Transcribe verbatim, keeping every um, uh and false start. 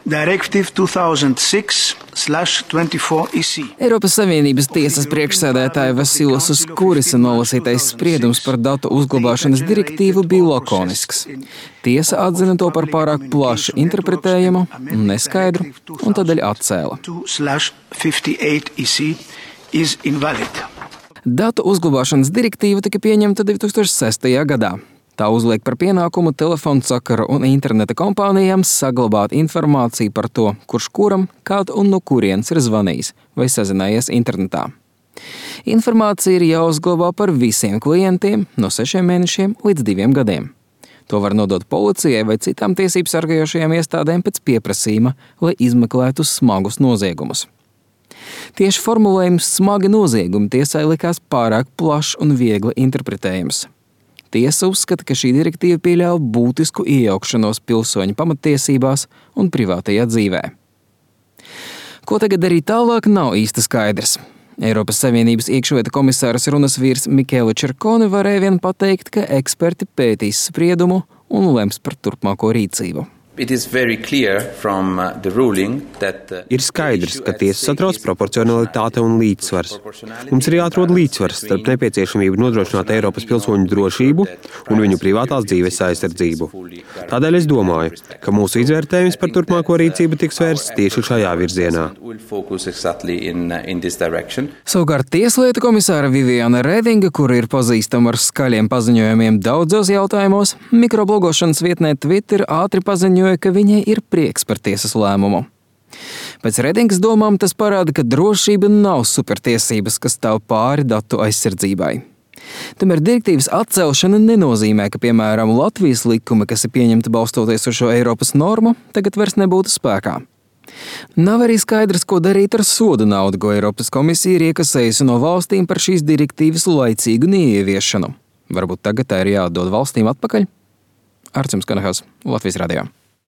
Directive two thousand six twenty-four E C. Eiropas Savienības tiesas priekšsēdētāja Vasilas Uskurisa nolasītais spriedums par datu uzglabāšanas direktīvu bija lakonisks. Tiesa atzina to par pārāk plaši interpretējumu un neskaidru, un tādēļ atcēla. Datu uzglabāšanas direktīva tika pieņemta divi tūkstoši sestajā gadā. Tā uzliek par pienākumu telefonu sakaru un interneta kompānijām saglabāt informāciju par to, kurš kuram, kād un no kurienes ir zvanījis vai sazinājies internetā. Informācija ir jāuzglabā par visiem klientiem no sešiem mēnešiem līdz diviem gadiem. To var nodot policijai vai citām tiesību sargājošajām iestādēm pēc pieprasījuma, lai izmeklētu smagus noziegumus. Tieši formulējums smagi noziegumi tiesai likās pārāk plašs un viegli interpretējams. Tiesa uzskata, ka šī direktīva pieļauj būtisku iejaukšanos pilsoņu pamattiesībās un privātajā dzīvē. Ko tagad darīt tālāk, nav īsti skaidrs. Eiropas Savienības iekšlietu komisāras runas vīrs Mikēla Čerkoni varēja vien pateikt, ka eksperti pētīs spriedumu un lems par turpmāko rīcību. Ir skaidrs, ka tiesa satrauc proporcionalitāte un līdzsvars. Mums ir jāatrod līdzsvars starp nepieciešamību nodrošināt Eiropas pilsoņu drošību un viņu privātās dzīves aizsardzību. Tādēļ es domāju, ka mūsu izvērtējums par turpmāko rīcību tiks vērsts tieši šajā virzienā. Savukārt tieslietu komisāra Viviana Redinga, kura ir pazīstama ar skaļiem paziņojumiem daudzos jautājumos, mikroblogošanas vietnē Twitter ātri paziņoja, ka viņai ir prieks par tiesas lēmumu. Pēc Redingas domām tas parāda, ka drošība nav supertiesības, kas stāv pāri datu aizsardzībai. Tomēr direktīvas atcelšana nenozīmē, ka, piemēram, Latvijas likumi, kas ir pieņemti balstoties uz šo Eiropas normu, tagad vairs nebūtu spēkā. Nav arī skaidrs, ko darīt ar sodu naudu, ko Eiropas komisija ir iekasējusi no valstīm par šīs direktīvas laicīgu neieviešanu. Varbūt tagad tā ir jāatdod valstīm atpakaļ? Arcim Skanahas, Latvijas radio.